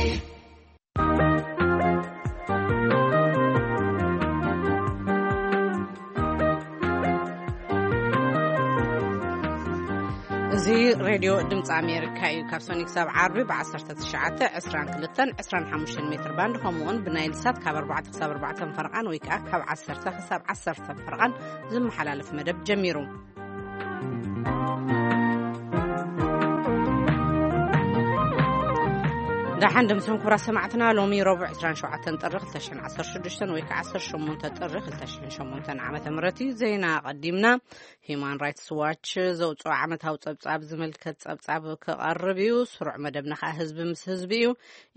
እዚ ሬድዮ ድምፂ ኣሜሪካ እዩ። ካብ ሰኒ ክሳብ ዓርቢ ብ19፣ 22፣ 25 ሜትር ባንድ፣ ከምኡውን ብናይል ሳት ካብ ኣርባዕተ ክሳብ ኣርባዕተ ፈረቓን ወይ ከዓ ካብ ዓሰርተ ክሳብ ዓሰርተ ፈረቓን ዝመሓላለፍ መደብ ጀሚሩ። ደሓን ደምስኹም ክቡራት ሰማዕትና። ሎሚ ረቡዕ ዕስራን ሸውዓተን ጥሪ ክልተ ሽሕን ዓሰርተ ሽዱሽተን ወይ ከዓ ዓሰርተ ሸሞንተ ጥሪ ክልተ ሽሕን ሸሞንተን ዓመተ ምህረት እዩ። ዜና ኣቐዲምና። ሂዩማን ራይትስ ዋች ዘውፅኦ ዓመታዊ ፀብፃብ ዝምልከት ፀብፃብ ክቐርብ እዩ። ስሩዕ መደብና ከዓ ህዝቢ ምስ ህዝቢ እዩ።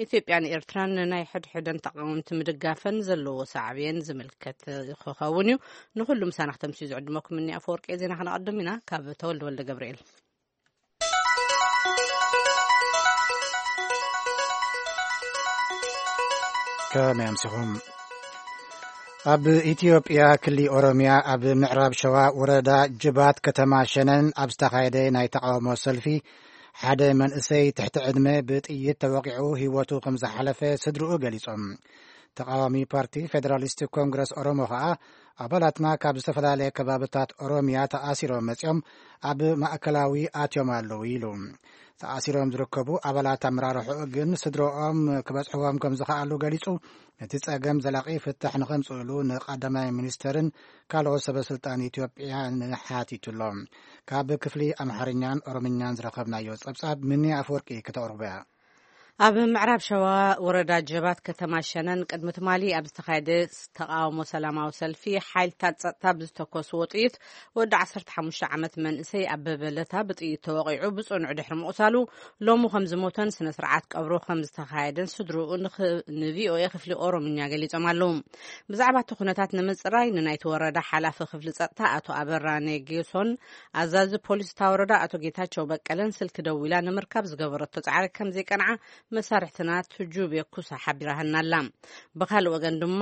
ኢትዮጵያን ኤርትራን ንናይ ሕድሕደን ተቃወምቲ ምድጋፈን ዘለዎ ሳዕቤን ዝምልከት ክኸውን እዩ። ንኹሉ ምሳና ክተምስዩ ዝዕድመኩም እኒ ኣፈወርቂ ዜና ክነቐድም ኢና። ካብ ተወልደ ወልደ ገብርኤል። ከመይ ኣምሲኹም? ኣብ ኢትዮጵያ ክሊ ኦሮሚያ ኣብ ምዕራብ ሸዋ ወረዳ ጅባት ከተማ ሸነን ኣብ ዝተኻየደ ናይ ተቃውሞ ሰልፊ ሓደ መንእሰይ ትሕቲ ዕድመ ብጥይት ተወቂዑ ህይወቱ ከም ዝሓለፈ ስድርኡ ገሊጾም። ተቃዋሚ ፓርቲ ፌደራሊስት ኮንግረስ ኦሮሞ ከኣ ኣባላትና ካብ ዝተፈላለየ ከባብታት ኦሮሚያ ተኣሲሮም መጺኦም ኣብ ማእከላዊ ኣትዮም ኣለዉ ኢሉ። ተኣሲሮም ዝርከቡ ኣባላት ኣመራርሕኡ ግን ስድረኦም ክበጽሕዎም ከም ዝኸኣሉ ገሊጹ፣ ነቲ ጸገም ዘላቒ ፍታሕ ንኸምጽእሉ ንቀዳማይ ሚኒስተርን ካልኦት ሰበ ስልጣን ኢትዮጵያ ንሓቲቱ ኣሎ። ካብ ክፍሊ ኣምሓርኛን ኦሮምኛን ዝረኸብናዮ ጸብጻብ ምኒ ኣፈወርቂ ከተቕርቦ እያ። ኣብ ምዕራብ ሸዋ ወረዳ ጀባት ከተማ ሸነን ቅድሚ ትማሊ ኣብ ዝተኻየደ ተቃውሞ ሰላማዊ ሰልፊ ሓይልታት ጸጥታ ብዝተኮስዎ ጥይት ወዲ ዓሰርተ ሓሙሽተ ዓመት መንእሰይ ኣበበ ለታ ብጥይት ተወቒዑ ብጽኑዕ ድሕሪ ምቑሳሉ ሎሚ ከም ዝሞተን ስነ ስርዓት ቀብሩ ከም ዝተኻየደን ስድርኡ ንኽ-፣ ንቪኦኤ ክፍሊ ኦሮምኛ ገሊጾም ኣለዉ። ብዛዕባ እቲ ኩነታት ንምጽራይ ንናይቲ ወረዳ ሓላፊ ክፍሊ ጸጥታ ኣቶ ኣበራ ኔጌሶን ኣዛዚ ፖሊስ እታ ወረዳ ኣቶ ጌታቸው በቀለን ስልኪ ደዊላ ንምርካብ ዝገበረቶ ጻዕሪ ከም ዘይቀንዓ መሳርሕትና ትጁቤ ኩሳ ሓቢራትና ኣላ። ብኻልእ ወገን ድማ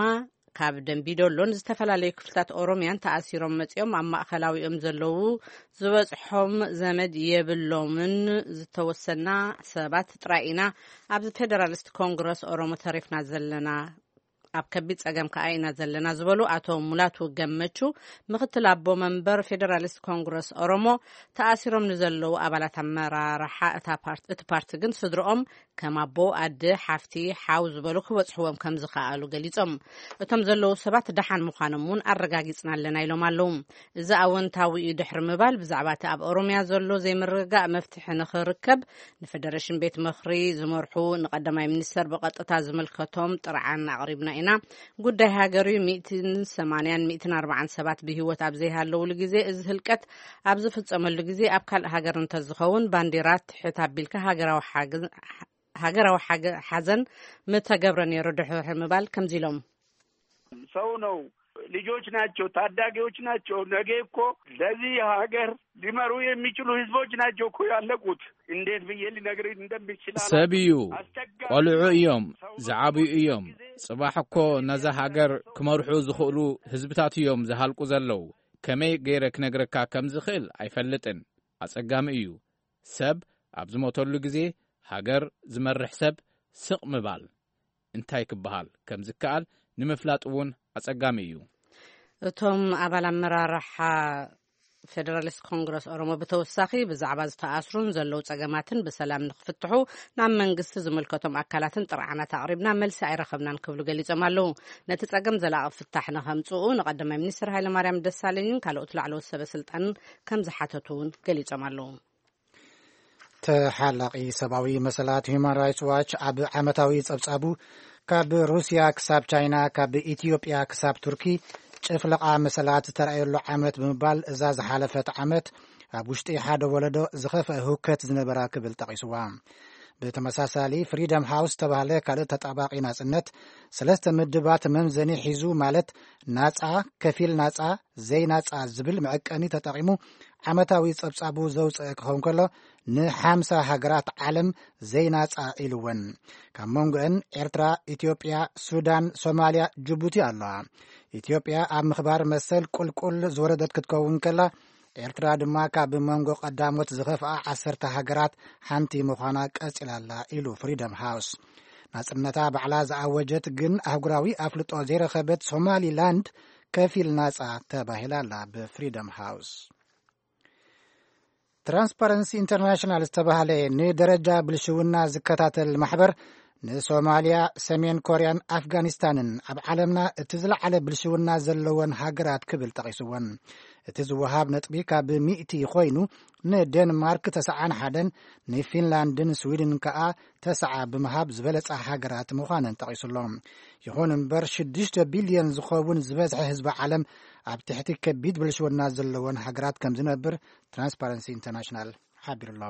ካብ ደንቢዶሎን ዝተፈላለዩ ክፍልታት ኦሮሚያን ተኣሲሮም መጺኦም ኣብ ማእከላዊኦም ዘለዉ ዝበጽሖም ዘመድ የብሎምን፣ ዝተወሰና ሰባት ጥራይ ኢና ኣብ ፌደራሊስት ኮንግረስ ኦሮሞ ተሪፍና ዘለና፣ ኣብ ከቢድ ጸገም ከኣ ኢና ዘለና ዝበሉ ኣቶ ሙላቱ ገመቹ፣ ምክትል ኣቦ መንበር ፌደራሊስት ኮንግረስ ኦሮሞ፣ ተኣሲሮም ንዘለዉ ኣባላት ኣመራርሓ እታ ፓርት-፣ እቲ ፓርቲ ግን ስድርኦም ከም ኣቦ፣ ኣደ፣ ሓፍቲ፣ ሓው ዝበሉ ክበጽሕዎም ከም ዝኸኣሉ ገሊጾም። እቶም ዘለዉ ሰባት ደሓን ምዃኖም እውን ኣረጋጊጽና ኣለና ኢሎም ኣለዉ። እዚ ኣወንታዊ እዩ ድሕሪ ምባል፣ ብዛዕባ እቲ ኣብ ኦሮምያ ዘሎ ዘይምርግጋእ መፍትሒ ንኽርከብ ንፌደሬሽን ቤት ምኽሪ ዝመርሑ ንቀዳማይ ሚኒስተር ብቐጥታ ዝምልከቶም ጥርዓን ኣቕሪብና ኢና። ጉዳይ ሃገር እዩ። ሚእትን ሰማንያን ሚእትን ኣርባዓን ሰባት ብህይወት ኣብ ዘይሃለውሉ ግዜ፣ እዚ ህልቀት ኣብ ዝፍጸመሉ ግዜ ኣብ ካልእ ሃገር እንተዝኸውን ባንዲራ ትሕት ኣቢልካ ሃገራዊ ሓገ-፣ ሃገራዊ ሓገ-፣ ሓዘን ምተገብረ ነይሩ ድሕሪ ምባል ከምዚ ኢሎም። ሰው ነው፣ ልጆች ናቸው፣ ታዳጊዎች ናቸው። ነገ እኮ ለዚህ ሀገር ሊመሩ የሚችሉ ህዝቦች ናቸው እኮ ያለቁት። እንዴት ብዬ ሊነግር እንደምችል አላውቅም። ሰብ እዩ፣ አስቸጋሪ ቆልዑ ነው። እዮም፣ ሰው ዝዓብዩ በሚሞትበት እዮም። ጊዜ ጽባሕ እኮ ነዛ ሃገር ክመርሑ ዝኽእሉ ህዝብታት እዮም ዝሃልቁ ዘለዉ። ከመይ ገይረ ክነግረካ ከም ዝኽእል ኣይፈልጥን። ኣጸጋሚ እዩ። ሰብ ኣብ ዝሞተሉ ግዜ ሃገር ዝመርሕ ሰብ ስቕ ምባል እንታይ ክበሃል ከም ዝከኣል ንምፍላጥ እውን ኣጸጋሚ እዩ። እቶም ኣባል ኣመራርሓ ፌደራሊስት ኮንግረስ ኦሮሞ ብተወሳኺ ብዛዕባ ዝተኣስሩን ዘለዉ ጸገማትን ብሰላም ንኽፍትሑ ናብ መንግስቲ ዝምልከቶም ኣካላትን ጥርዓናት ኣቕሪብና መልሲ ኣይረኸብናን ክብሉ ገሊጾም ኣለዉ። ነቲ ጸገም ዘላቒ ፍታሕ ንኸምጽኡ ንቀዳማይ ሚኒስትር ሃይለማርያም ደሳለኝን ካልኦት ላዕለዎት ሰበ ስልጣንን ከም ዝሓተቱ እውን ገሊጾም ኣለዉ። ተሓላቒ ሰብኣዊ መሰላት ሁማን ራይትስ ዋች ኣብ ዓመታዊ ጸብጻቡ ካብ ሩስያ ክሳብ ቻይና፣ ካብ ኢትዮጵያ ክሳብ ቱርኪ ጭፍለቓ መሰላት ዝተራእየሉ ዓመት ብምባል፣ እዛ ዝሓለፈት ዓመት ኣብ ውሽጢ ሓደ ወለዶ ዝኸፍአ ህውከት ዝነበራ ክብል ጠቒስዋ። ብተመሳሳሊ ፍሪደም ሃውስ ዝተባህለ ካልእ ተጣባቒ ናጽነት ሰለስተ ምድባት መምዘኒ ሒዙ፣ ማለት ናጻ፣ ከፊል ናጻ፣ ዘይናጻ ዝብል መዐቀኒ ተጠቒሙ ዓመታዊ ጸብጻቡ ዘውጽአ ክኸውን ከሎ፣ ንሓምሳ ሃገራት ዓለም ዘይናጻ ኢልወን። ካብ መንጎአን ኤርትራ፣ ኢትዮጵያ፣ ሱዳን፣ ሶማልያ፣ ጅቡቲ ኣለዋ። ኢትዮጵያ ኣብ ምኽባር መሰል ቁልቁል ዝወረደት ክትከውን ከላ፣ ኤርትራ ድማ ካብ መንጎ ቀዳሞት ዝኸፍኣ ዓሰርተ ሃገራት ሓንቲ ምዃና ቀጺላ ኣላ ኢሉ ፍሪደም ሃውስ። ናጽነታ ባዕላ ዝኣወጀት ግን ኣህጉራዊ ኣፍልጦ ዘይረኸበት ሶማሊላንድ ከፊል ናጻ ተባሂላ ኣላ ብፍሪደም ሃውስ። ትራንስፓረንሲ ኢንተርናሽናል ዝተባህለ ንደረጃ ብልሽውና ዝከታተል ማሕበር፣ ንሶማልያ፣ ሰሜን ኮርያን ኣፍጋኒስታንን ኣብ ዓለምና እቲ ዝለዓለ ብልሽውና ዘለወን ሃገራት ክብል ጠቒስወን። እቲ ዝወሃብ ነጥቢ ካብ ሚእቲ ኮይኑ፣ ንዴንማርክ ተስዓን ሓደን፣ ንፊንላንድን ስዊድን ከኣ ተስዓ ብምሃብ ዝበለጻ ሃገራት ምዃነን ጠቒሱሎ። ይኹን እምበር ሽዱሽተ ቢልዮን ዝኸውን ዝበዝሐ ህዝቢ ዓለም ኣብ ትሕቲ ከቢድ ብልሽውና ዘለወን ሃገራት ከም ዝነብር ትራንስፓረንሲ ኢንተርናሽናል ሓቢሩሎ።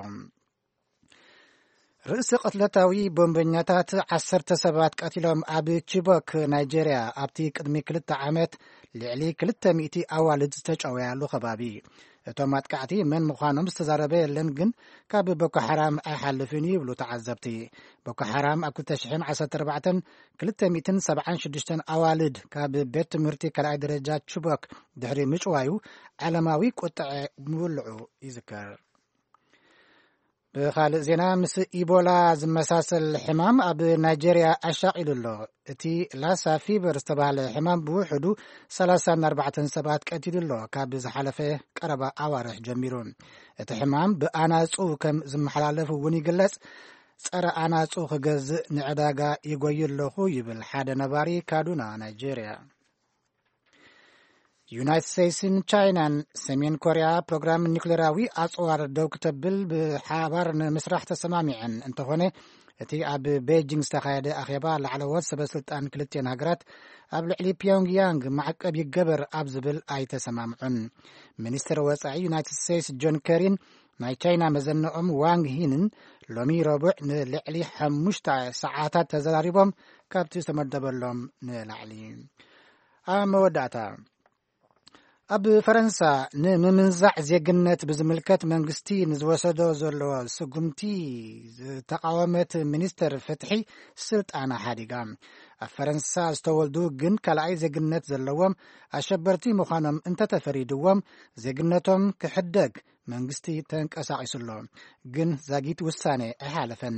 ርእሲ ቅትለታዊ ቦምበኛታት ዓሰርተ ሰባት ቀቲሎም ኣብ ቺቦክ ናይጄርያ ኣብቲ ቅድሚ ክልተ ዓመት ልዕሊ ክልተ ሚእቲ ኣዋልድ ዝተጨወያሉ ከባቢ። እቶም ኣጥቃዕቲ መን ምዃኖም ዝተዛረበ የለን፣ ግን ካብ ቦኮ ሓራም ኣይሓልፍን እዩ ይብሉ ተዓዘብቲ። ቦኮ ሓራም ኣብ ክልተ ሽሕን ዓሰርተ ኣርባዕተን ክልተ ሚእትን ሰብዓን ሽዱሽተን ኣዋልድ ካብ ቤት ትምህርቲ ካልኣይ ደረጃ ቺቦክ ድሕሪ ምጭዋዩ ዓለማዊ ቁጥዐ ምውልዑ ይዝከር። ብኻልእ ዜና፣ ምስ ኢቦላ ዝመሳሰል ሕማም ኣብ ናይጄርያ ኣሻቒሉ ኣሎ። እቲ ላሳ ፊቨር ዝተባህለ ሕማም ብውሕዱ ሰላሳን ኣርባዕተን ሰባት ቀቲሉ ኣሎ፣ ካብ ዝሓለፈ ቀረባ ኣዋርሕ ጀሚሩ። እቲ ሕማም ብኣናጹ ከም ዝመሓላለፍ እውን ይግለጽ። ጸረ ኣናጹ ክገዝእ ንዕዳጋ ይጎዩ ኣለኹ ይብል ሓደ ነባሪ ካዱና ናይጄርያ። ዩናይትድ ስቴትስን ቻይናን ሰሜን ኮርያ ፕሮግራም ኒውክሌራዊ ኣጽዋር ደው ክተብል ብሓባር ንምስራሕ ተሰማሚዐን እንተኾነ፣ እቲ ኣብ ቤጂንግ ዝተኻየደ ኣኼባ ላዕለዎት ሰበ ስልጣን ክልቲአን ሃገራት ኣብ ልዕሊ ፒዮንግያንግ ማዕቀብ ይገበር ኣብ ዝብል ኣይተሰማምዑን። ሚኒስትር ወጻኢ ዩናይትድ ስቴትስ ጆን ከሪን ናይ ቻይና መዘንኦም ዋንግ ሂንን ሎሚ ረቡዕ ንልዕሊ ሓሙሽተ ሰዓታት ተዘራሪቦም፣ ካብቲ ዝተመደበሎም ንላዕሊ። ኣብ መወዳእታ፣ ኣብ ፈረንሳ ንምምንዛዕ ዜግነት ብዝምልከት መንግስቲ ንዝወሰዶ ዘሎ ስጉምቲ ዝተቃወመት ሚኒስተር ፍትሒ ስልጣና ሓዲጋ። ኣብ ፈረንሳ ዝተወልዱ ግን ካልኣይ ዜግነት ዘለዎም ኣሸበርቲ ምዃኖም እንተተፈሪድዎም፣ ዜግነቶም ክሕደግ መንግስቲ ተንቀሳቒሱ ኣሎ። ግን ዛጊት ውሳኔ ኣይሓለፈን።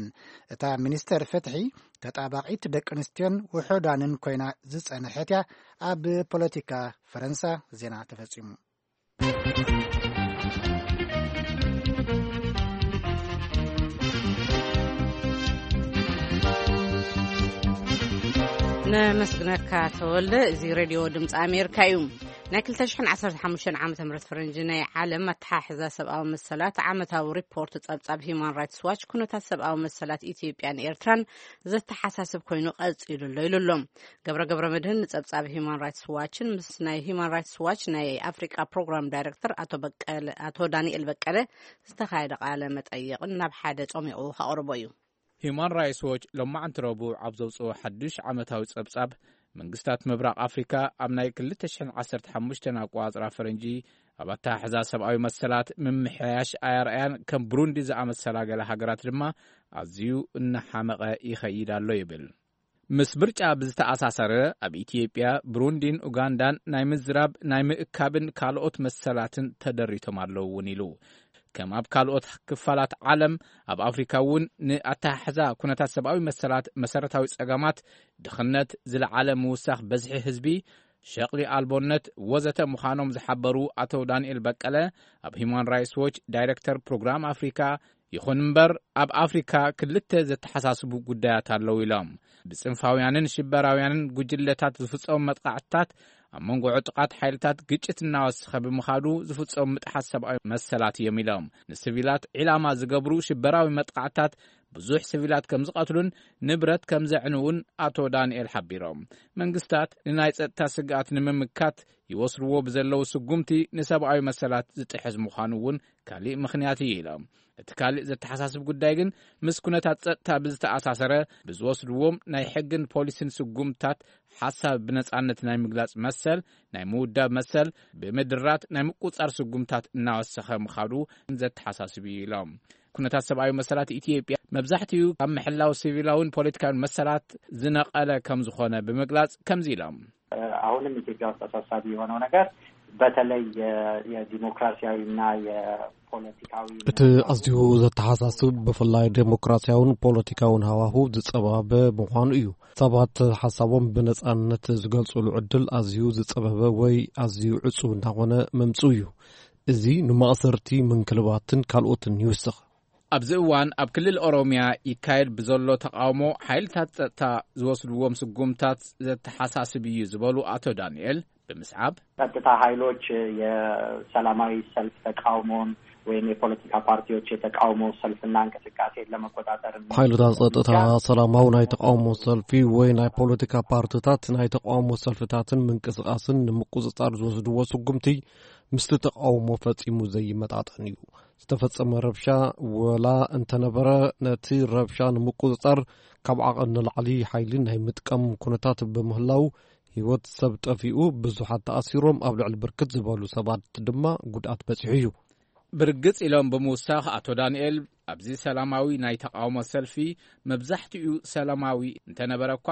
እታ ሚኒስተር ፍትሒ፣ ተጣባቒት ደቂ ኣንስትዮን ውሑዳንን ኮይና ዝጸንሐት እያ። ኣብ ፖለቲካ ፈረንሳ ዜና ተፈጺሙ። ነመስግነካ ተወልደ። እዚ ሬድዮ ድምፂ ኣሜሪካ እዩ። ናይ ክልተ ሽሕን ዓሰርተ ሓሙሽተን ዓመተ ምህረት ፈረንጂ ናይ ዓለም ኣተሓሕዛ ሰብኣዊ መሰላት ዓመታዊ ሪፖርት ጸብጻብ ሂዩማን ራይትስ ዋች፣ ኩነታት ሰብኣዊ መሰላት ኢትዮጵያን ኤርትራን ዘተሓሳስብ ኮይኑ ቀጺሉ ኣሎ ኢሉ ኣሎ። ገብረ ገብረ መድህን ንጸብጻብ ሂዩማን ራይትስ ዋችን ምስ ናይ ሂዩማን ራይትስ ዋች ናይ ኣፍሪቃ ፕሮግራም ዳይሬክተር ኣቶ በቀለ፣ ኣቶ ዳንኤል በቀለ ዝተኻየደ ቃለ መጠይቕን ናብ ሓደ ጾሚቑ ከቕርቦ እዩ። ሂዩማን ራይትስ ዎች ሎማዕንቲ ረቡዕ ኣብ ዘውፅኦ ሓዱሽ ዓመታዊ ጸብጻብ፣ መንግስታት ምብራቕ ኣፍሪካ ኣብ ናይ ክልተ ሽሕን ዓሰርተ ሓሙሽተን ኣቋጽራ ፈረንጂ ኣብ ኣተሓሕዛ ሰብኣዊ መሰላት ምምሕያሽ ኣያርኣያን፣ ከም ብሩንዲ ዝኣመሰላ ገለ ሃገራት ድማ ኣዝዩ እናሓመቐ ይኸይድ ኣሎ ይብል። ምስ ምርጫ ብዝተኣሳሰረ፣ ኣብ ኢትዮጵያ፣ ብሩንዲን ኡጋንዳን ናይ ምዝራብ፣ ናይ ምእካብን ካልኦት መሰላትን ተደሪቶም ኣለዉ እውን ኢሉ። ከም ኣብ ካልኦት ክፋላት ዓለም፣ ኣብ ኣፍሪካ እውን ንኣተሓሕዛ ኩነታት ሰብኣዊ መሰላት፣ መሰረታዊ ጸገማት፣ ድኽነት፣ ዝለዓለ ምውሳኽ በዝሒ ህዝቢ፣ ሸቕሊ ኣልቦነት ወዘተ ምዃኖም ዝሓበሩ ኣቶ ዳንኤል በቀለ፣ ኣብ ሂዩማን ራይትስ ዎች ዳይሬክተር ፕሮግራም ኣፍሪካ፣ ይኹን እምበር ኣብ ኣፍሪካ ክልተ ዘተሓሳስቡ ጉዳያት ኣለዉ ኢሎም። ብጽንፋውያንን ሽበራውያንን ጉጅለታት ዝፍጸሙ መጥቃዕትታት ኣብ መንጎ ዕጡቓት ሓይልታት ግጭት እናወሰኸ ብምኻዱ ዝፍጸሙ ምጥሓስ ሰብኣዊ መሰላት እዮም ኢሎም። ንስቪላት ዒላማ ዝገብሩ ሽበራዊ መጥቃዕትታት ብዙሕ ስቪላት ከም ዝቐትሉን ንብረት ከም ዘዕንውን ኣቶ ዳንኤል ሓቢሮም። መንግስታት ንናይ ጸጥታ ስግኣት ንምምካት ይወስድዎ ብዘለዉ ስጉምቲ ንሰብኣዊ መሰላት ዝጥሕስ ምዃኑ እውን ካሊእ ምኽንያት እዩ ኢሎም። እቲ ካሊእ ዘተሓሳስብ ጉዳይ ግን ምስ ኩነታት ጸጥታ ብዝተኣሳሰረ ብዝወስድዎም ናይ ሕግን ፖሊስን ስጉምታት ሓሳብ ብነጻነት ናይ ምግላጽ መሰል፣ ናይ ምውዳብ መሰል፣ ብምድራት ናይ ምቁጻር ስጉምታት እናወሰኸ ምኻዱ ዘተሓሳስብ እዩ ኢሎም። ኩነታት ሰብኣዊ መሰላት ኢትዮጵያ መብዛሕትኡ ካብ ምሕላው ሲቪላውን ፖለቲካውን መሰላት ዝነቐለ ከም ዝኾነ ብምግላጽ ከምዚ ኢሎም። አሁንም ኢትዮጵያ ውስጥ አሳሳቢ የሆነው ነገር በተለይ የ- የዲሞክራሲያዊና የፖለቲካዊ እቲ ኣዝዩ ዘተሓሳስብ፣ ብፍላይ ዴሞክራሲያውን ፖለቲካውን ሃዋሁ ዝጸባበ ምዃኑ እዩ። ሰባት ሓሳቦም ብነጻነት ዝገልጹሉ ዕድል ኣዝዩ ዝጸበበ ወይ ኣዝዩ ዕጹው እናኾነ መምጽኡ እዩ። እዚ ንማእሰርቲ፣ ምንክልባትን ካልኦትን ይውስኽ። ኣብዚ እዋን ኣብ ክልል ኦሮሚያ ይካየድ ብዘሎ ተቃውሞ ሓይልታት ጸጥታ ዝወስድዎም ስጉምታት ዘተሓሳስብ እዩ ዝበሉ ኣቶ ዳንኤል ብምስዓብ፣ ጸጥታ ኃይሎች የሰላማዊ ሰልፍ ተቃውሞን ወይም የፖለቲካ ፓርቲዎች የተቃውሞ ሰልፍና እንቅስቃሴን ለመቆጣጠር ሓይልታት ጸጥታ ሰላማዊ ናይ ተቃውሞ ሰልፊ ወይ ናይ ፖለቲካ ፓርቲታት ናይ ተቃውሞ ሰልፍታትን ምንቅስቃስን ንምቁጽጻር ዝወስድዎ ስጉምቲ ምስቲ ተቃውሞ ፈጺሙ ዘይመጣጠን እዩ። ዝተፈጸመ ረብሻ ወላ እንተነበረ፣ ነቲ ረብሻ ንምቁጽጻር ካብ ዓቐን ንላዕሊ ሓይሊ ናይ ምጥቃም ኩነታት ብምህላው፣ ህይወት ሰብ ጠፊኡ፣ ብዙሓት ተኣሲሮም፣ ኣብ ልዕሊ ብርክት ዝበሉ ሰባት ድማ ጉድኣት በጺሑ እዩ። ብርግጽ ኢሎም ብምውሳኽ ኣቶ ዳንኤል፣ ኣብዚ ሰላማዊ ናይ ተቃውሞ ሰልፊ መብዛሕትኡ ሰላማዊ እንተነበረ እኳ፣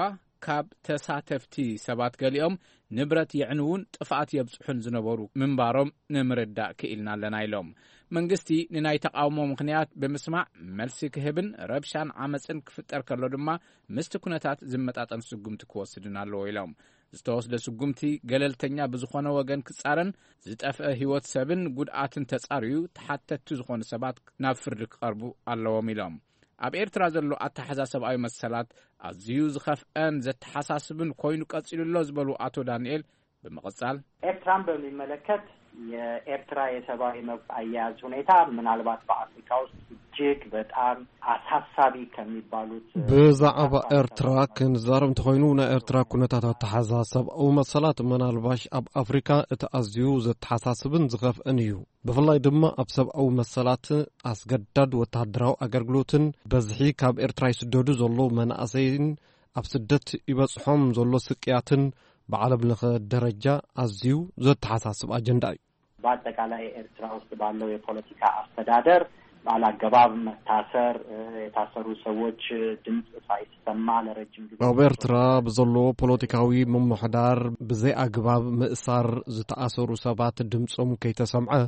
ካብ ተሳተፍቲ ሰባት ገሊኦም ንብረት የዕንዉን ጥፍኣት የብጽሑን ዝነበሩ ምንባሮም ንምርዳእ ክኢልና ኣለና ኢሎም። መንግስቲ ንናይ ተቃውሞ ምኽንያት ብምስማዕ መልሲ ክህብን ረብሻን ዓመጽን ክፍጠር ከሎ ድማ ምስቲ ኩነታት ዝመጣጠን ስጉምቲ ክወስድን ኣለዎ ኢሎም። ዝተወስደ ስጉምቲ ገለልተኛ ብዝኾነ ወገን ክጻረን ዝጠፍአ ህይወት ሰብን ጉድኣትን ተጻርዩ ተሓተትቲ ዝኾኑ ሰባት ናብ ፍርዲ ክቐርቡ ኣለዎም ኢሎም። ኣብ ኤርትራ ዘሎ ኣተሓዛ ሰብኣዊ መሰላት ኣዝዩ ዝኸፍአን ዘተሓሳስብን ኮይኑ ቀጺሉ ኣሎ ዝበሉ ኣቶ ዳንኤል ብምቕጻል፣ ኤርትራን በሚመለከት የኤርትራ የሰብአዊ መብት አያያዝ ሁኔታ ምናልባት በአፍሪካ ውስጥ እጅግ በጣም አሳሳቢ ከሚባሉት ብዛዕባ ኤርትራ ክንዛረብ እንተኾይኑ፣ ናይ ኤርትራ ኩነታት ኣተሓዛ ሰብኣዊ መሰላት ምናልባሽ ኣብ ኣፍሪካ እቲ ኣዝዩ ዘተሓሳስብን ዝኸፍእን እዩ። ብፍላይ ድማ ኣብ ሰብኣዊ መሰላት፣ ኣስገዳድ ወተሃደራዊ ኣገልግሎትን በዝሒ ካብ ኤርትራ ይስደዱ ዘሎ መናእሰይን ኣብ ስደት ይበጽሖም ዘሎ ስቅያትን ብዓለም ለኸ ደረጃ ኣዝዩ ዘተሓሳስብ ኣጀንዳ እዩ። በአጠቃላይ ኤርትራ ውስጥ ባለው የፖለቲካ አስተዳደር ባላገባብ መታሰር፣ የታሰሩ ሰዎች ድምፅ ሳይሰማ ለረጅም ጊዜ ኣብ ኤርትራ ብዘሎ ፖለቲካዊ ምምሕዳር ብዘይ ኣግባብ ምእሳር፣ ዝተኣሰሩ ሰባት ድምፆም ከይተሰምዐ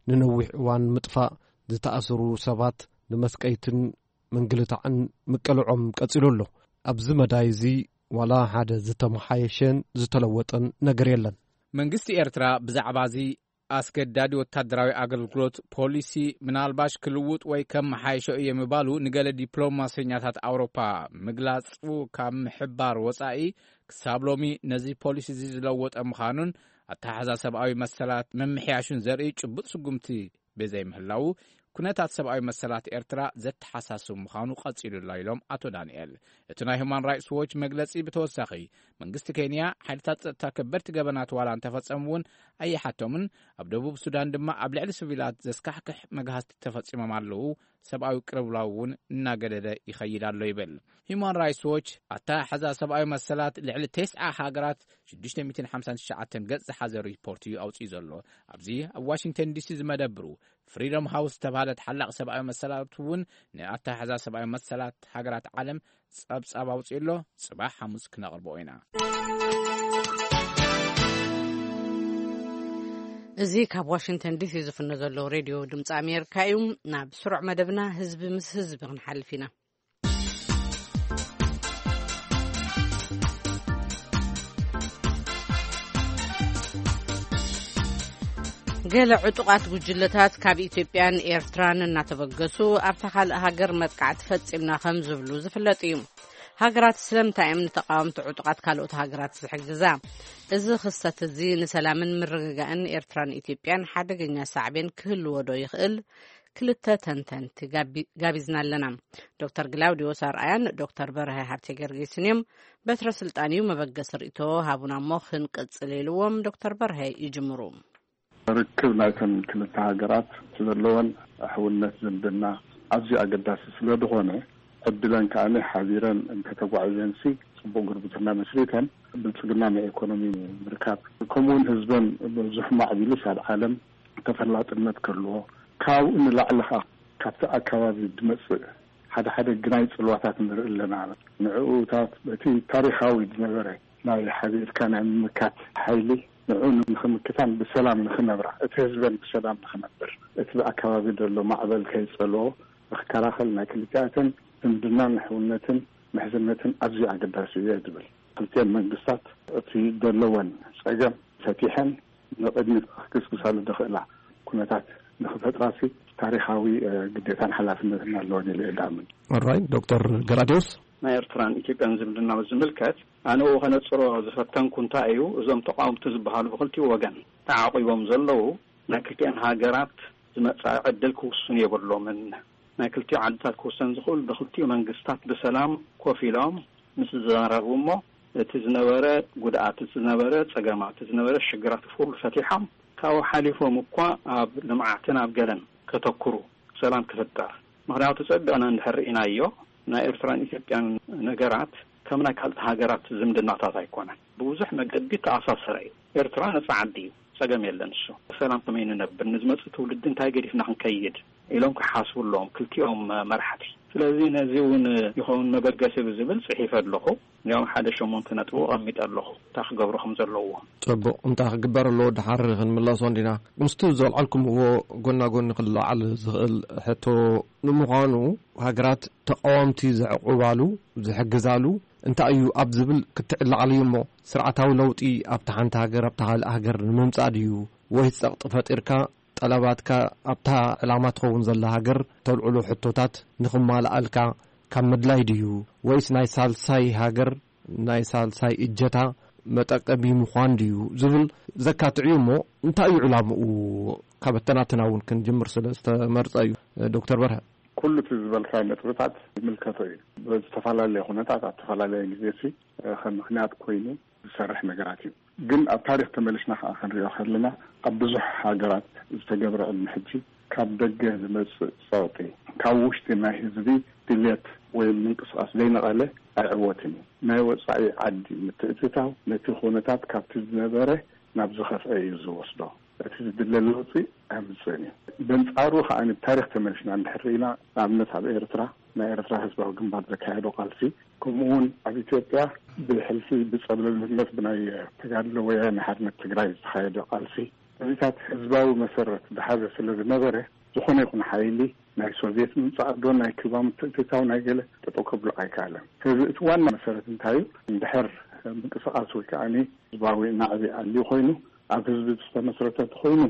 ንነዊሕ እዋን ምጥፋእ፣ ዝተኣሰሩ ሰባት ንመስቀይትን ምንግልታዕን ምቅልዖም ቀጺሉ ኣሎ። ኣብዚ መዳይ እዚ ዋላ ሓደ ዝተመሓየሸን ዝተለወጠን ነገር የለን። መንግስቲ ኤርትራ ብዛዕባ እዚ ኣስገዳዲ ወታደራዊ ኣገልግሎት ፖሊሲ ምናልባሽ ክልውጥ ወይ ከመሓየሾ እየ ምባሉ ንገለ ዲፕሎማሰኛታት ኣውሮፓ ምግላጹ ካብ ምሕባር ወጻኢ፣ ክሳብ ሎሚ ነዚ ፖሊሲ እዚ ዝለወጠ ምዃኑን ኣተሓሕዛ ሰብኣዊ መሰላት ምምሕያሹን ዘርኢ ጭቡጥ ስጉምቲ ብዘይምህላዉ፣ ኩነታት ሰብኣዊ መሰላት ኤርትራ ዘተሓሳስብ ምዃኑ ቀጺሉ ኣሎ ኢሎም ኣቶ ዳንኤል። እቲ ናይ ሁማን ራይትስ ዎች መግለጺ ብተወሳኺ፣ መንግስቲ ኬንያ ሓይልታት ጸጥታ ከበድቲ ገበናት ዋላ እንተፈጸሙ እውን ኣይሓቶምን፣ ኣብ ደቡብ ሱዳን ድማ ኣብ ልዕሊ ሲቪላት ዘስካሕክሕ መግሃስቲ ተፈጺሞም ኣለዉ፣ ሰብኣዊ ቅልውላው እውን እናገደደ ይኸይድ ኣሎ ይብል። ሁማን ራይትስ ዎች ኣተሓሕዛ ሰብኣዊ መሰላት ልዕሊ ተስዓ ሃገራት ሽዱሽተ ሚእትን ሓምሳን ትሽዓተን ገጽ ዝሓዘ ሪፖርት እዩ ኣውጺኡ ዘሎ። ኣብዚ ኣብ ዋሽንግተን ዲሲ ዝመደብሩ ፍሪደም ሃውስ ዝተባህለ ተሓላቒ ሰብኣዊ መሰላት እውን ንኣተሓሕዛ ሰብኣዊ መሰላት ሃገራት ዓለም ጸብጻብ ኣውጺኡ ኣሎ። ጽባሕ ሓሙስ ክነቕርቦ ኢና። እዚ ካብ ዋሽንግተን ዲሲ ዝፍኖ ዘሎ ሬድዮ ድምፂ ኣሜሪካ እዩ። ናብ ስሩዕ መደብና ህዝቢ ምስ ህዝቢ ክንሓልፍ ኢና። ገለ ዕጡቓት ጉጅለታት ካብ ኢትዮጵያን ኤርትራን እናተበገሱ ኣብታ ካልእ ሃገር መጥቃዕቲ ፈጺምና ከም ዝብሉ ዝፍለጥ እዩ። ሃገራት ስለምንታይ እዮም ንተቓወምቲ ዕጡቓት ካልኦት ሃገራት ዝሕግዛ? እዚ ክስተት እዚ ንሰላምን ምርግጋእን ኤርትራን ኢትዮጵያን ሓደገኛ ሳዕቤን ክህልዎ ዶ ይኽእል? ክልተ ተንተንቲ ጋቢ-፣ ጋቢዝና ኣለና። ዶክተር ግላውዲዮስ ኣርኣያን ዶክተር በርሀ ሃብተ ገርጊስን እዮም። በትረ ስልጣን እዩ፣ መበገሲ ርእይቶ ሃቡና እሞ ክንቅጽል ኢልዎም ዶክተር በርሀ ይጅምሩ። ርክብ ናይተን ክልተ ሃገራት ዘለወን ሕውነት ዝምድና ኣዝዩ ኣገዳሲ ስለ ዝኾነ፣ ዕድለን ከኣ ሓቢረን እንተተጓዒዘንሲ ጽቡቕ ጉርብትና መስሪተን ብልጽግና ናይ ኢኮኖሚ ምርካብ፣ ከምኡውን ህዝበን ብዙሕ ማዕቢሉስ ኣብ ዓለም ተፈላጥነት ከልዎ፣ ካብኡ ንላዕሊ ኸኣ ካብቲ ኣካባቢ ዝመጽእ ሓደ ሓደ ግናይ ጽልዋታት ንርኢ ኣለና። ንዕኡታት በቲ ታሪኻዊ ዝነበረ ናይ ሓቢርካ ናይ ምምካት ሓይሊ ንዑ ንኽምክታን ብሰላም ንኽነብራ፣ እቲ ህዝበን ብሰላም ንኽነብር፣ እቲ ብኣከባቢ ዘሎ ማዕበል ከይጸልዎ ንኽከላኸል ናይ ክልቲኣተን ዝምድናን ሕውነትን ምሕዝነትን ኣዝዩ ኣገዳሲ እዩ ዝብል። ክልቲአን መንግስታት እቲ ዘለወን ጸገም ፈቲሐን ንቕድሚት ክግስግሳሉ ዝኽእላ ኩነታት ንኽፈጥራሲ ታሪኻዊ ግዴታን ሓላፍነትን ኣለወን ኢለ እየ ዝኣምን። ኦራይ ዶክተር ገላዲዮስ። ናይ ኤርትራን ኢትዮጵያን ዝምድና ዝምልከት ኣነ ከነጽሮ ዝፈተንኩ እንታይ እዩ፣ እዞም ተቃወምቲ ዝበሃሉ ብክልቲኡ ወገን ተዓቂቦም ዘለዉ ናይ ክልቲኣን ሃገራት ዝመጻኢ ዕድል ክውስኑ የብሎምን። ናይ ክልቲኡ ዓድታት ክውሰን ዝኽእል ብክልቲኡ መንግስታት ብሰላም ኮፍ ኢሎም ምስ ዝዘራረቡ እሞ እቲ ዝነበረ ጉድኣት፣ እቲ ዝነበረ ጸገማት፣ እቲ ዝነበረ ሽግራት ኩሉ ፈቲሖም ካብኡ ሓሊፎም እኳ ኣብ ልምዓትን ኣብ ገለን ከተኩሩ ሰላም ክፍጠር። ምኽንያቱ ጸቢቕና እንድሕር ርኢናዮ ናይ ኤርትራን ኢትዮጵያን ነገራት ከም ናይ ካልኦት ሃገራት ዝምድናታት ኣይኮነን። ብብዙሕ መገዲ ተኣሳሰረ እዩ። ኤርትራ ነጻ ዓዲ እዩ። ጸገም የለን። እሱ ሰላም ከመይ ንነብር፣ ንዝመጽእ ትውልዲ እንታይ ገዲፍና ክንከይድ ኢሎም ክሓስቡ ኣለዎም ክልቲኦም መራሕቲ። ስለዚ ነዚ እውን ይኸውን መበገሲ ብዝብል ጽሒፈ ኣለኹ። ያው ሓደ ሸሞንተ ነጥቡ ኣቐሚጠ ኣለኹ እንታይ ክገብሩ ከም ዘለዎ። ጽቡቕ፣ እንታይ ክግበር ኣለዎ ድሓር ክንምለሶ እንዲና። ምስቲ ዘልዓልኩምዎ ጎና ጎኒ ክለዓል ዝኽእል ሕቶ፣ ንምዃኑ ሃገራት ተቃወምቲ ዘዕቁባሉ፣ ዝሕግዛሉ እንታይ እዩ ኣብ ዝብል ክትዕላዓሉ እዩ እሞ፣ ስርዓታዊ ለውጢ ኣብታ ሓንቲ ሃገር ኣብታ ካልእ ሃገር ንምምጻእ ድዩ? ወይስ ጸቕጢ ፈጢርካ ጠለባትካ ኣብታ ዕላማ ትኸውን ዘላ ሃገር ተልዕሎ ሕቶታት ንኽማልኣልካ ካብ ምድላይ ድዩ? ወይስ ናይ ሳልሳይ ሃገር፣ ናይ ሳልሳይ እጀታ መጠቀሚ ምዃን ድዩ ዝብል ዘካትዕ እዩ እሞ፣ እንታይ እዩ ዕላምኡ? ካብ ኣተናትና እውን ክንጅምር ስለ ዝተመርጸ እዩ። ዶክተር በርሀ። ኩሉ እቲ ዝበልካዮ ነጥብታት ይምልከቶ እዩ። ብዝተፈላለየ ኩነታት ኣብ ዝተፈላለየ ግዜ ሲ ከም ምኽንያት ኮይኑ ዝሰርሕ ነገራት እዩ። ግን ኣብ ታሪኽ ተመሊስና ከዓ ክንሪኦ ከለና፣ ኣብ ብዙሕ ሃገራት ዝተገብረ ቅድሚ ሕጂ ካብ ደገ ዝመጽእ ጸቕጢ ካብ ውሽጢ ናይ ህዝቢ ድልየት ወይ ምንቅስቃስ ዘይነቐለ ኣይዕወትን እዩ። ናይ ወጻኢ ዓዲ ምትእትታው ነቲ ኩነታት ካብቲ ዝነበረ ናብ ዝኸፍአ እዩ ዝወስዶ። እቲ ዝድለ ለውጢ ኣምጽእን እዩ። በንጻሩ ከኣ ብታሪኽ ተመሊስና እንድሕር ርኢና፣ ንኣብነት ኣብ ኤርትራ ናይ ኤርትራ ህዝባዊ ግንባር ዘካየዶ ቃልሲ፣ ከምኡ እውን ኣብ ኢትዮጵያ ብሕልፊ ብጸብለልነት ብናይ ተጋድሎ ወያነ ሓርነት ትግራይ ዝተኻየደ ቃልሲ፣ እዚታት ህዝባዊ መሰረት ዝሓዘ ስለ ዝነበረ፣ ዝኾነ ይኹን ሓይሊ ናይ ሶቪየት ምምጻእ ዶ ናይ ኩባ ምትእትታው ናይ ገለ ጠጠው ከብሎ ኣይከኣለን። ስለዚ እቲ ዋና መሰረት እንታይ እዩ? እንድሕር ምንቅስቃስ ወይ ከዓኒ ህዝባዊ ናዕቢ ኣልዩ ኮይኑ ኣብ ህዝቢ ዝተመስረተ ተኾይኑ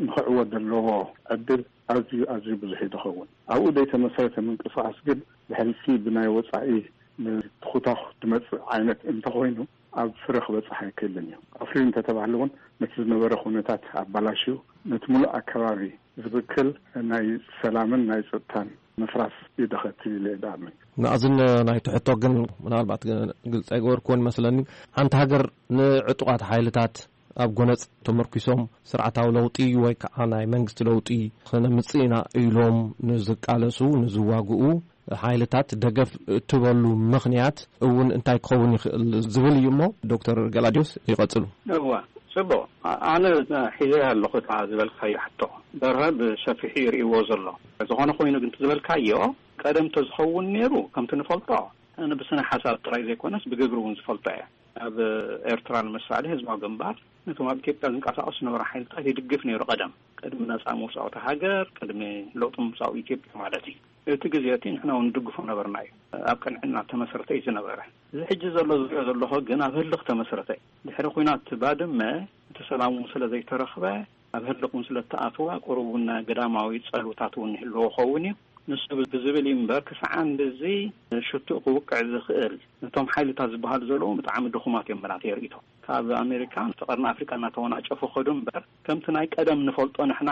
ንኽዕወት ዘለዎ ዕድል ኣዝዩ ኣዝዩ ብዙሕ እዩ ዝኸውን። ኣብኡ ዘይተመስረተ ምንቅስቃስ ግን ብሕልፊ ብናይ ወጻኢ ንትኹታኹ ዝመጽእ ዓይነት እንተኾይኑ ኣብ ፍረ ክበጽሕ ኣይክእልን እዩ። ኣፍርዩ እንተተባህለ እውን ነቲ ዝነበረ ኩነታት ኣባላሽዩ ነቲ ሙሉእ ኣከባቢ ዝብክል ናይ ሰላምን ናይ ጸጥታን ምፍራስ ይደኸትል ኢለ እየ ዝኣምን። መኣዝን ናይቲ ሕቶ ግን ምናልባት ግልጺ ኣይገበርክዎን ይመስለኒ። ሓንቲ ሃገር ንዕጡቓት ሓይልታት ኣብ ጎነጽ ተመርኪሶም ስርዓታዊ ለውጢ ወይ ከዓ ናይ መንግስቲ ለውጢ ክነምጽእ ኢና ኢሎም ንዝቃለሱ፣ ንዝዋግኡ ሓይልታት ደገፍ እትበሉ ምኽንያት እውን እንታይ ክኸውን ይኽእል ዝብል እዩ እሞ፣ ዶክተር ገላዲዮስ ይቐጽሉ። እዋ፣ ጽቡቕ። ኣ-፣ ኣነ ሒዘ ኣለኹ እታ ዝበልካዮ ሕቶ። በርሀ ብሰፊሑ ይርእይዎ ዘሎ። ዝኾነ ኮይኑ ግን እቲ ዝበልካዮ ቀደም ተዝኸውን ነይሩ፣ ከምቲ ንፈልጦ፣ ኣነ ብስነ ሓሳብ ጥራይ ዘይኮነስ ብግብሪ እውን ዝፈልጦ እየ። ኣብ ኤርትራ ንምሳሌ ህዝባዊ ግንባር ነቶም ኣብ ኢትዮጵያ ዝንቀሳቐሱ ዝነበሩ ሓይልታት ይድግፍ ነይሩ። ቀደም ቅድሚ ነጻ ምውጻእ እታ ሃገር፣ ቅድሚ ለውጢ ምምጻኡ ኢትዮጵያ ማለት እዩ። እቲ ግዜ እቲ ንሕና እውን ንድግፎ ነበርና እዩ። ኣብ ቅንዕና ተመስረተ እዩ ዝነበረ። እዚ ሕጂ ዘሎ ዝሪኦ ዘለኹ ግን ኣብ ህልኽ ተመስረተ እዩ። ድሕሪ ኲናት ባድመ እቲ ሰላም እውን ስለ ዘይተረኽበ፣ ኣብ ህልቕ እውን ስለ እተኣተወ፣ ቁሩብ እውን ግዳማዊ ጸልውታት እውን ይህልዎ ኸውን እዩ። ንሱ ብዝብል እዩ እምበር፣ ክሳዕ ክንድዚ ሽቱእ ክውቅዕ ዝኽእል፣ ነቶም ሓይልታት ዝበሃሉ ዘለዉ ብጣዕሚ ድኹማት እዮም ብናተይ ርእይቶ። ካብ ኣሜሪካ ንፍቐርና ኣፍሪቃ እናተወናጨፉ ከዱ እምበር፣ ከምቲ ናይ ቀደም ንፈልጦ ንሕና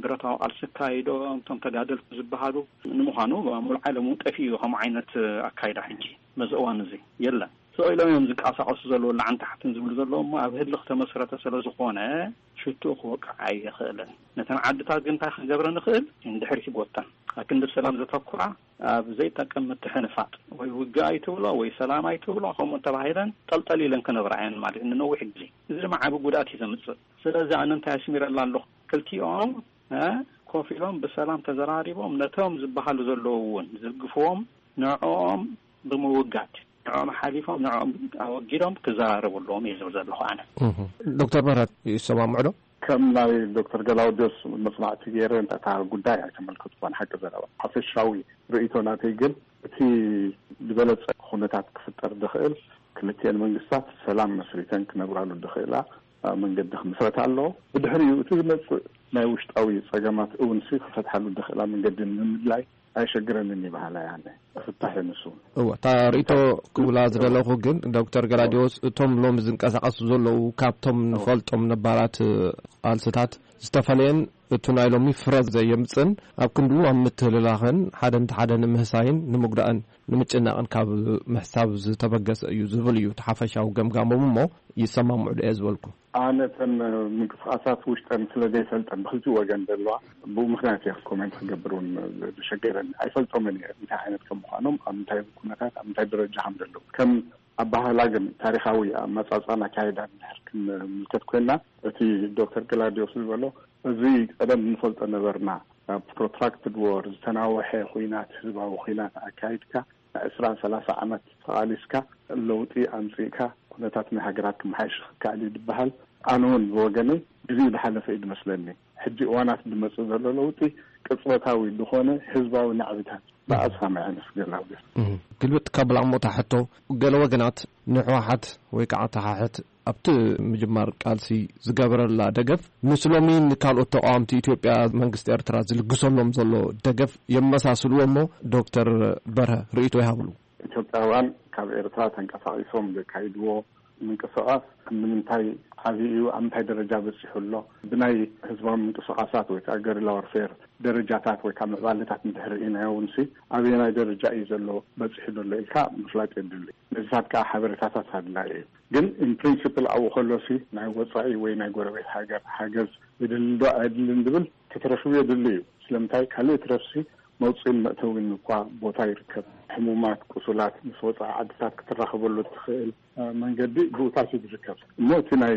ብረታዊ ቃልሲ ኣካይዶም፣ እቶም ተጋደልቲ ዝበሃሉ፣ ንምዃኑ ኣብ ሙሉእ ዓለም እውን ጠፊኡ እዩ ከምኡ ዓይነት ኣካይዳ። ሕጂ በዚ እዋን እዚ የለን። ስቕ ኢሎም እዮም ዝንቀሳቐሱ ዘለዉ፣ ላዕን ታሕትን ዝብሉ ዘለዉ እሞ፣ ኣብ ህልኽ ተመስረተ ስለ ዝኾነ ሽቱኡ ክወቅዕ ኣይኽእልን። ነተን ዓድታት ግን እንታይ ክንገብረ ንኽእል? ንድሕሪት ይጎተን። ኣብ ክንዲ ሰላም ዘተኩራ፣ ኣብ ዘይጠቅም ምትሕንፋጥ፣ ወይ ውግእ ኣይትብሎ ወይ ሰላም ኣይትብሎ፣ ከምኡ ተባሂለን ጠልጠል ኢለን ክነብራ እየን ማለት እዩ ንነዊሕ ግዜ። እዚ ድማ ዓቢ ጉድኣት እዩ ዘምጽእ። ስለዚ ኣነ እንታይ ኣስሚረላ ኣለኹ? ክልቲኦም፣ እ፣ ኮፍ ኢሎም ብሰላም ተዘራሪቦም ነቶም ዝበሃሉ ዘለዉ እውን ዝድግፍዎም ንዕኦም ብምውጋድ፣ ንዕኦም ሓሊፎም ንዕኦም ኣወጊዶም ክዘራረቡ ኣለዎም እየ ዝብል ዘለኹ ኣነ። ዶክተር ምህረት ይሰማምዑ ዶ? ከም ናይ ዶክተር ገላውዲዮስ መጽናዕቲ ገይረ እታ ጉዳይ ኣይተመልከትኩን። ሓቂ ዘረባ ሓፈሻዊ ርእይቶ ናተይ ግን እቲ ዝበለጸ ኩነታት ክፍጠር ዝኽእል ክልቲኤን መንግስታት ሰላም መስሪተን ክነብራሉ ዝኽእላ መንገዲ ክምስረት ኣለዎ። ብድሕሪኡ እቲ ዝመጽእ ናይ ውሽጣዊ ጸገማት እውን ሲ ክፈትሓሉ ዝኽእላ መንገዲ ንምድላይ ኣይሸግረንን ይበሃል ኣነ። ፍታሕ ንሱ። እወ፣ እታ ርእይቶ ክብላ ዝደለኹ ግን ዶክተር ገላዲዎስ እቶም ሎሚ ዝንቀሳቐሱ ዘለዉ ካብቶም ንፈልጦም ነባራት ቃልስታት ዝተፈለየን እቱ ናይ ሎሚ ፍረ ዘየምጽን ኣብ ክንድኡ ኣብ ምትህልላኽን ሓደን ተሓደን ምህሳይን ንምጉዳእን ንምጭናቕን ካብ ምሕሳብ ዝተበገሰ እዩ ዝብል እዩ እቲ ሓፈሻዊ ገምጋሞም እሞ ይሰማምዑ ዶ እየ ዝበልኩ። ኣነ እተን ምንቅስቃሳት ውሽጠን ስለ ዘይፈልጠን ብክልቲኡ ወገን ዘለዋ ብኡ ምክንያት እየ ኮሜንት ክገብር እውን ዝሸገረኒ። ኣይፈልጦምን እየ እንታይ ዓይነት ከም ምዃኖም፣ ኣብ እንታይ ኩነታት፣ ኣብ እንታይ ደረጃ ከም ዘለዉ። ከም ኣባህላ ግን ታሪኻዊ ኣመጻጽኣን ኣካይዳን እንድሕር ክንምልከት ኮይና እቲ ዶክተር ግላዲዮስ ዝበሎ እዚ ቀደም ንፈልጦ ነበርና። ፕሮትራክትድ ወር ዝተናወሐ ኩናት ህዝባዊ ኩናት ኣካይድካ ዕስራን ሰላሳ ዓመት ተቓሊስካ ለውጢ ኣምጺእካ ኩነታት ናይ ሃገራት ክመሓየሽ ክከኣል እዩ ዝበሃል ኣነ እውን ብወገነይ ግዜኡ ዝሓለፈ እዩ ዝመስለኒ። ሕጂ እዋናት ዝመጽእ ዘሎ ለውጢ ቅጽበታዊ ዝኾነ ህዝባዊ ናዕብታት ብኣዝኻ መያነስ ገላውዴስ። ግልብጥ ካብ ላሞታ ሕቶ ገለ ወገናት ንሕወሓት ወይ ከዓ ተሓሕት ኣብቲ ምጅማር ቃልሲ ዝገበረላ ደገፍ ምስ ሎሚ ንካልኦት ተቃዋምቲ ኢትዮጵያ መንግስቲ ኤርትራ ዝልግሰሎም ዘሎ ደገፍ የመሳስልዎ እሞ ዶክተር በርሀ ርእይቶ ይሃብሉ። ኢትዮጵያውያን ካብ ኤርትራ ተንቀሳቒሶም ዘካይድዎ ምንቅስቃስ ንምንታይ ዓብዩ እዩ፣ ኣብ ምንታይ ደረጃ በፂሑ ኣሎ፣ ብናይ ህዝባዊ ምንቅስቃሳት ወይ ከዓ ገሪላ ወርፌር ደረጃታት ወይ ከዓ ምዕባለታት እንድሕር ርኢናዮ እውን ሲ ኣበየናይ ደረጃ እዩ ዘሎ በፂሑ ዘሎ ኢልካ ምፍላጥ የድሊ። ነዚታት ከዓ ሓበሬታታት ኣድላይ እዩ። ግን ኢን ፕሪንሲፕል ኣብኡ ከሎ ሲ ናይ ወፃኢ ወይ ናይ ጎረቤት ሃገር ሓገዝ የድሊ ዶ ኣየድልን ዝብል ክትረክብ የድሊ እዩ። ስለምንታይ ካልእ ትረፍሲ መውፅእን መእተዊን እኳ ቦታ ይርከብ። ሕሙማት፣ ቁሱላት ምስ ወፃኢ ዓድታት ክትራኸበሉ እትኽእል መንገዲ ብኡታት እዩ ዝርከብ። እሞ እቲ ናይ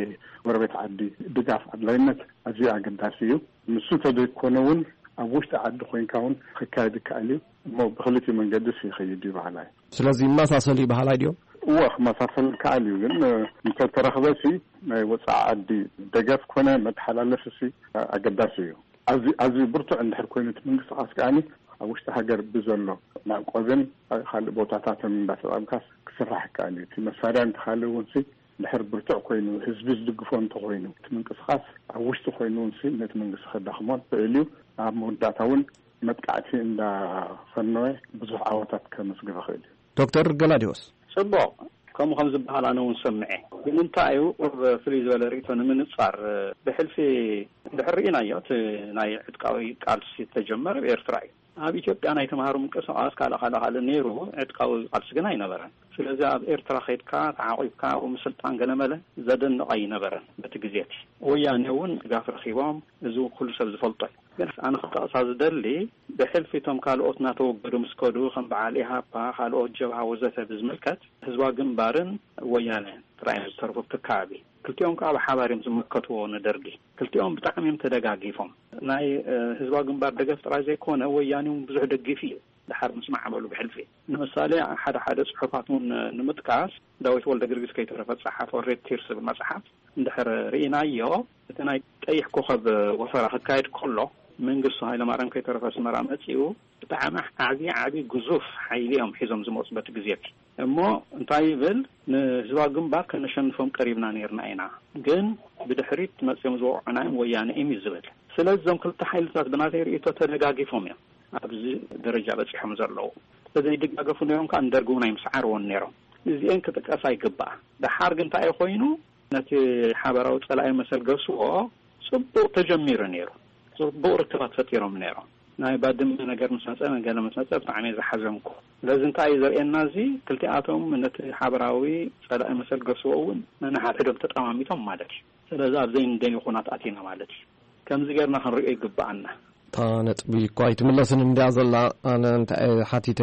ጎረቤት ዓዲ ድጋፍ ኣድላይነት ኣዝዩ ኣገዳሲ እዩ። ንሱ ተደይኮነ እውን ኣብ ውሽጢ ዓዲ ኮይንካ እውን ክካየድ ይከኣል እዩ። እሞ ብክልቲኡ መንገዲ ይኸይድ እዩ በሃላይ። ስለዚ ይመሳሰል እዩ በሃላይ ድዮም? እወ ክመሳሰል ይከኣል እዩ። ግን እንተተረኽበ ሲ ናይ ወፃኢ ዓዲ ደገፍ ኮነ መተሓላለፊ ሲ ኣገዳሲ እዩ። ኣዝዩ ኣዝዩ ብርቱዕ እንድሕር ኮይኑ እቲ ምንቅስቃስ ከኣኒ ኣብ ውሽጢ ሃገር ብዘሎ ማዕቆብን ካልእ ቦታታትን እንዳተጠቀምካስ ክስራሕ ይከኣል እዩ። እቲ መሳርያ እንተካለ እውን ሲ ድሕር ብርቱዕ ኮይኑ ህዝቢ ዝድግፎ እንተኮይኑ እቲ ምንቅስቃስ ኣብ ውሽጢ ኮይኑ እውን ሲ ነቲ መንግስቲ ከዳኽሞ ይኽእል እዩ። ኣብ መወዳእታ እውን መጥቃዕቲ እንዳፈነወ ብዙሕ ዓወታት ከመስግብ ይኽእል እዩ። ዶክተር ገላዲዎስ። ጽቡቕ፣ ከምኡ ከም ዝበሃል ኣነ እውን ሰምዐ። ግን እንታይ እዩ ቁርብ ፍልይ ዝበለ ርእይቶ ንምንጻር ብሕልፊ ድሕር ርኢናዮ እቲ ናይ ዕጥቃዊ ቃልሲ ዝተጀመረ ኣብ ኤርትራ እዩ። ኣብ ኢትዮጵያ ናይ ተምሃሮ ምንቅስቃስ ካልእ ካልእ ካልእ ነይሩ፣ ዕጥቃዊ ቃልሲ ግን ኣይነበረን። ስለዚ ኣብ ኤርትራ ከይድካ ተዓቂብካ ኣብኡ ምስልጣን ገለመለ ዘደንቕ ኣይነበረን። በቲ ግዜ እቲ ወያኔ እውን ድጋፍ ረኺቦም፣ እዚ ኩሉ ሰብ ዝፈልጦ እዩ። ግን ኣነ ክጠቕሳ ዝደሊ ብሕልፊ እቶም ካልኦት እናተወገዱ ምስ ከዱ ከም በዓል ኢሃፓ፣ ካልኦት ጀብሃ ወዘተ ብዝምልከት ህዝባዊ ግንባርን ወያነ ጥራይ እዮም ዝተረፉ ኣብቲ ከባቢ። ክልቲኦም ከዓ ብሓባር እዮም ዝምከትዎ ንደርጊ። ክልቲኦም ብጣዕሚ እዮም ተደጋጊፎም። ናይ ህዝባዊ ግንባር ደገፍ ጥራይ ዘይኮነ ወያኔ እውን ብዙሕ ደጊፍ እዩ። ድሓር ምስ ማዕበሉ ብሕልፊ ንምሳሌ ሓደ ሓደ ጽሑፋት እውን ንምጥቃስ ዳዊት ወልደ ጊዮርጊስ ከይተረፈ ዝጸሓፎ ሬድ ቲርስ ዝብል መጽሓፍ እንድሕር ርኢናዮ እቲ ናይ ቀይሕ ኮኸብ ወፈራ ክካየድ ከሎ መንግስቱ ሃይለማርያም ከይተረፈ ኣስመራ መጺኡ ብጣዕሚ ዓብዪ ዓብዪ ግዙፍ ሓይሊ እዮም ሒዞም ዝመፁ በቲ ግዜ እቲ። እሞ እንታይ ይብል? ንህዝባዊ ግንባር ከነሸንፎም ቀሪብና ነይርና ኢና፣ ግን ብድሕሪት መፂኦም ዝወቕዑና እዮም ወያነ እዮም እዩ ዝብል። ስለዚ እዞም ክልተ ሓይልታት ብናተይ ርእይቶ ተደጋጊፎም እዮም ኣብዚ ደረጃ በፂሖም ዘለዉ። ተዘይደጋገፉ ነይሮም ከዓ ንደርጊ እውን ኣይምስዓርዎን ነይሮም። እዚአን ክጥቀሳ ይግባኣ። ደሓር ግን እንታይ እዩ ኮይኑ? ነቲ ሓበራዊ ፀላኢ መሰል ገስዎ ፅቡቕ ተጀሚሩ ነይሩ። ፅቡቕ ርክባት ፈጢሮም ነይሮም። ናይ ባድመ ነገር ምስ መፀ፣ ገለ ምስ መፀ ብጣዕሚ እየ ዝሓዘንኩ። ስለዚ እንታይ እዩ ዘርእየና እዚ? ክልቲኣቶም ነቲ ሓበራዊ ፀላኢ መሰል ገስዎ እውን ነንሓድሕዶም ተጠማሚቶም ማለት እዩ። ስለዚ ኣብ ዘይንደልዮ ኩናት ኣቲና ማለት እዩ። ከምዚ ጌርና ክንሪኦ ይግብኣና። እታ ነጥቢ እኳ ኣይትምለስን እንድያ ዘላ። ኣነ እንታይ እየ ሓቲተ፣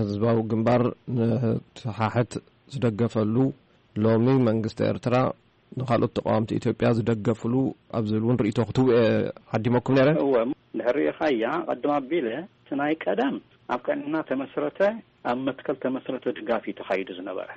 ህዝባዊ ግንባር ንህወሓት ዝደገፈሉ፣ ሎሚ መንግስቲ ኤርትራ ንኻልኦት ተቃወምቲ ኢትዮጵያ ዝደገፍሉ ኣብ ዝብል እውን ርእይቶ ክትህቡ እየ ዓዲመኩም ነይረ። እወ፣ እንድሕር ርኢኻያ፣ ቅድም ኣቢለ እቲ ናይ ቀደም ኣብ ቀንና ተመስረተ፣ ኣብ መትከል ተመስረተ ድጋፍ እዩ ተኻይዱ ዝነበረ።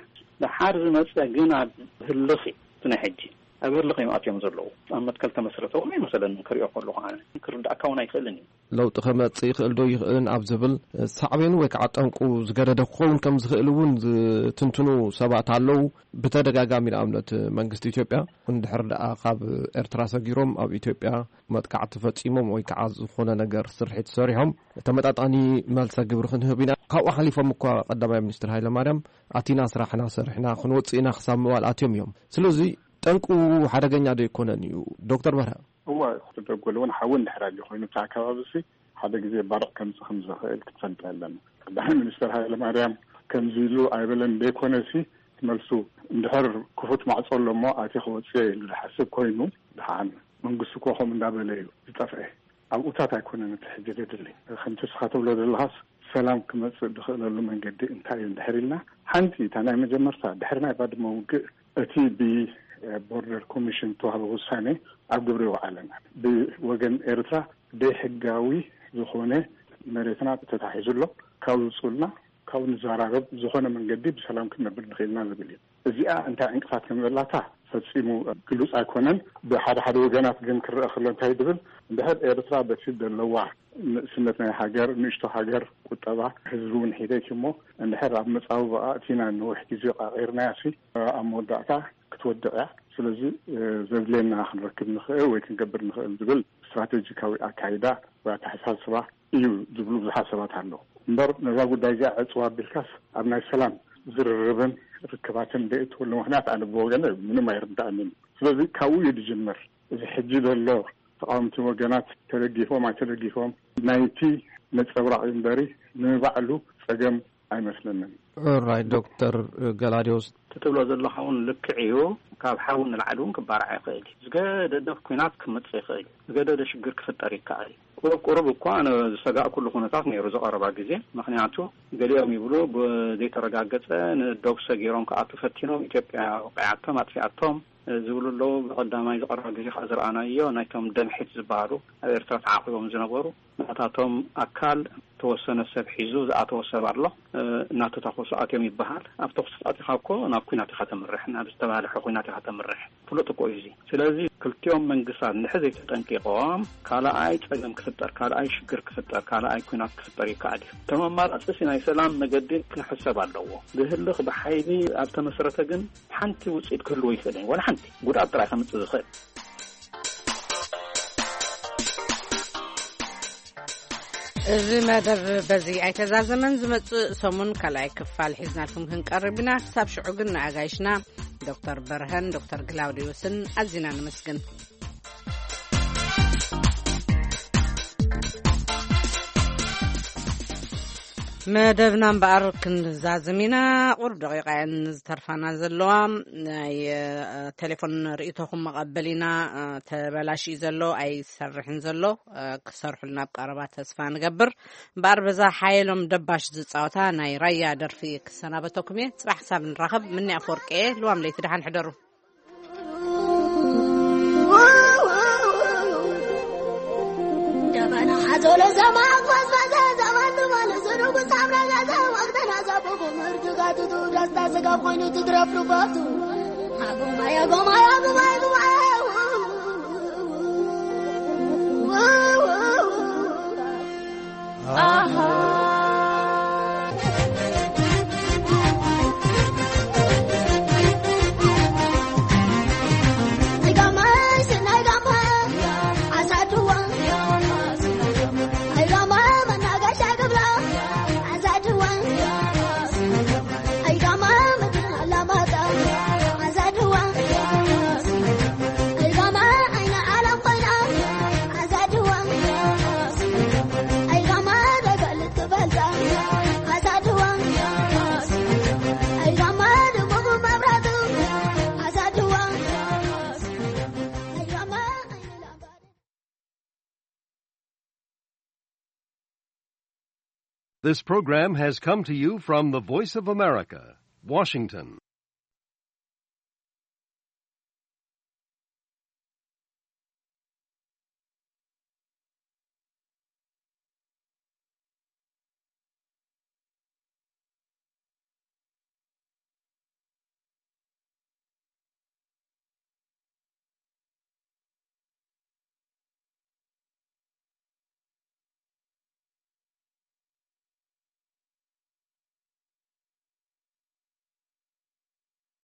ደሓር ዝመፀ ግን ኣብ ህልኽ እዩ። እቲ ናይ ሕጂ ኣብ ህልኽ እዮም ኣትዮም ዘለዉ። ኣብ መትከል ተመስረተ እውን ኣይመሰለንን ክሪኦ ከለኹ፣ ኣነ ክርዳእካ እውን ኣይክእልን እዩ። ለውጢ ከመጽእ ይኽእል ዶ ይኽእልን ኣብ ዝብል ሳዕቤኑ ወይ ከዓ ጠንቁ ዝገደደ ክኸውን ከም ዝኽእል እውን ዝትንትኑ ሰባት ኣለዉ። ብተደጋጋሚ ንኣብነት መንግስቲ ኢትዮጵያ እንድሕር ደኣ ካብ ኤርትራ ሰጊሮም ኣብ ኢትዮጵያ መጥቃዕቲ ፈጺሞም ወይ ከዓ ዝኾነ ነገር ስርሒት ሰሪሖም ተመጣጣኒ መልሰ ግብሪ ክንህብ ኢና። ካብኡ ሓሊፎም እኳ ቀዳማይ ሚኒስትር ሃይለማርያም ኣቲና ስራሕና ሰሪሕና ክንወጽእ ኢና ክሳብ ምባል ኣትዮም እዮም። ስለዚ ጠንቁ ሓደገኛ ዶ ኣይኮነን እዩ ዶክተር በርሀ? እዋ፣ ክልተ ጎል እውን ሓዊ እንድሕር ኣልዩ ኮይኑ፣ እቲ ኣከባቢ ሲ ሓደ ግዜ ባርዕ ከምጽእ ከም ዝኽእል ክትፈልጥ ኣለና። ቀዳማይ ሚኒስትር ሃይለ ማርያም ከምዚ ኢሉ ኣይበለን ደይኮነ ሲ፣ መልሱ እንድሕር ክፉት ማዕጾ ኣሎ እሞ ኣትየ ክወጽእ ኢሉ ዝሓስብ ኮይኑ፣ ደሓን መንግስቲ እኮ ከምኡ እንዳበለ እዩ ዝጠፍአ። ኣብኡታት ኣይኮነን እቲ ሕጂ ዘድሊ። ከምቲ እስኻ ትብሎ ዘለኻስ፣ ሰላም ክመጽእ ዝኽእለሉ መንገዲ እንታይ እዩ እንድሕር ኢልና፣ ሓንቲ እታ ናይ መጀመርታ ድሕሪ ናይ ባድመ ውግእ እቲ ብቦርደር ኮሚሽን ዝተዋህበ ውሳኔ ኣብ ግብሪ ይውዓል ኣለና። ብወገን ኤርትራ ደይሕጋዊ ዝኾነ መሬትና ተታሒዙ ኣሎ። ካብኡ ውጹልና፣ ካብኡ ንዘራረብ፣ ዝኾነ መንገዲ ብሰላም ክንነብር ንኽእልና ዝብል እዩ። እዚኣ እንታይ ዕንቅፋት ከም ዘላታ ፈጺሙ ግሉጽ ኣይኮነን። ብሓደ ሓደ ወገናት ግን ክረአ ከሎ እንታይ ዝብል፣ እንድሕር ኤርትራ በቲ ዘለዋ ንእስነት ናይ ሃገር፣ ንእሽቶ ሃገር፣ ቁጠባ ህዝቢ እውን ሒደት እሞ፣ እንድሕር ኣብ መጻብቦኣ ኣእቲና ነዊሕ ግዜ ቃቒርናያ ሲ፣ ኣብ መወዳእታ ክትወድቕ እያ። ስለዚ፣ እ፣ ዘድልየና ክንረክብ ንኽእል ወይ ክንገብር ንኽእል ዝብል ስትራቴጂካዊ ኣካይዳ ወይ ኣተሓሳስባ እዩ ዝብሉ ብዙሓት ሰባት ኣለዉ። እምበር ነዛ ጉዳይ እዚኣ ዕጽዋ ኣቢልካስ ኣብ ናይ ሰላም ዝርርብን ርክባትን ደእትወሉ ምኽንያት ኣነ ብወገነ ምንም ኣይርዳእንን። ስለዚ ካብኡ እዩ ዝጅምር። እዚ ሕጂ ዘሎ ተቃወምቲ ወገናት ተደጊፎም ኣይተደጊፎም ናይቲ ነጸብራቕ እዩ እምበሪ ንባዕሉ ጸገም ኣይመስለንን። ኦራይ ዶክተር ገላዲዮስ። እቲ ትብሎ ዘለኻ እውን ልክዕ እዩ። ካብ ሓዊ ንላዕሊ እውን ክባራዕ ይኽእል እዩ። ዝገደደ ኲናት ክመጽእ ይኽእል እዩ። ዝገደደ ሽግር ክፍጠር ይከኣል እዩ። ቁሩብ ቁሩብ እኳ ኣነ ዝሰጋእኩሉ ኩነታት ነይሩ ዝቐረባ ግዜ። ምኽንያቱ ገሊኦም ይብሉ ብዘይተረጋገጸ ንዶብ ሰጊሮም ክኣቱ ፈቲኖም ኢትዮጵያ ወቂዓቶም ኣጥፊኣቶም ዝብሉ ኣለዉ። ብቐዳማይ ዝቐረበ ግዜ ከዓ ዝረኣናዮ ናይቶም ደምሒት ዝበሃሉ ኣብ ኤርትራ ተዓቂቦም ዝነበሩ ናታቶም ኣካል ተወሰነ ሰብ ሒዙ ዝኣተወ ሰብ ኣሎ። እ፣ እናተታኮሱ ኣትዮም ይበሃል። ኣብ ተኩሲ ኣቲኻ እኮ ናብ ኲናት ኢኻ ተምርሕ፣ ናብ ዝተባህለሐ ኲናት ኢኻ ተምርሕ። ፍሉጥ እኮ እዩ እዚ። ስለዚ ክልቲኦም መንግስታት እንድሕር ዘይተጠንቂቖም ካልኣይ ጸገም ክፍጠር፣ ካልኣይ ሽግር ክፍጠር፣ ካልኣይ ኲናት ክፍጠር ይከኣል እዩ። እቶም ኣማራጺ ሲ ናይ ሰላም መገዲ ክሕሰብ ኣለዎ። ብህልኽ ብሓይሊ ኣብ ተመስረተ ግን ሓንቲ ውጽኢት ክህልዎ ይኽእል እዩ። ዋላ ሓንቲ ጉድኣት ጥራይ ከምጽእ ዝኽእል። እዚ መደብ በዚ ኣይተዛዘመን። ዝመጽእ ሰሙን ካልኣይ ክፋል ሒዝናልኩም ክንቀርብ ኢና። ክሳብ ሽዑ ግን ንኣጋይሽና ዶክተር በርሀን ዶክተር ግላውዲዮስን ኣዚና ነመስግን። መደብና እምበኣር ክንዛዝም ኢና። ቁሩብ ደቂቃ እየን ዝተርፋና ዘለዋ። ናይ፣ እ፣ ቴሌፎን ርእይቶኹም መቐበል ኢና። እ፣ ተበላሽዩ ዘሎ ኣይሰርሕን ዘሎ፣ እ፣ ክሰርሑልና ኣብ ቀረባ ተስፋ ንገብር። እምበኣር በዛ ሓየሎም ደባሽ ዝጻወታ ናይ ራያ ደርፊ ክሰናበተኩም እየ። ጽባሕ ክሳብ ንራኸብ፣ ምኒ ኣፈወርቂ እየ። ልዋም ለይቲ ደሓን ሕደሩ። ደበና ሓዞለ ዘማ ጓዝጓዘ ዘማን ድማን ዝርጉ ሳምራ ጋዘ ወቅተና ዘብኹ ምርግጋቱ ደስታ ስጋ ኮይኑ ትድረፍ ርባቱ። ኣጉማይ ኣጉማይ ኣጉማይ ኣጉማይ። This program has come to you from the Voice of America, Washington.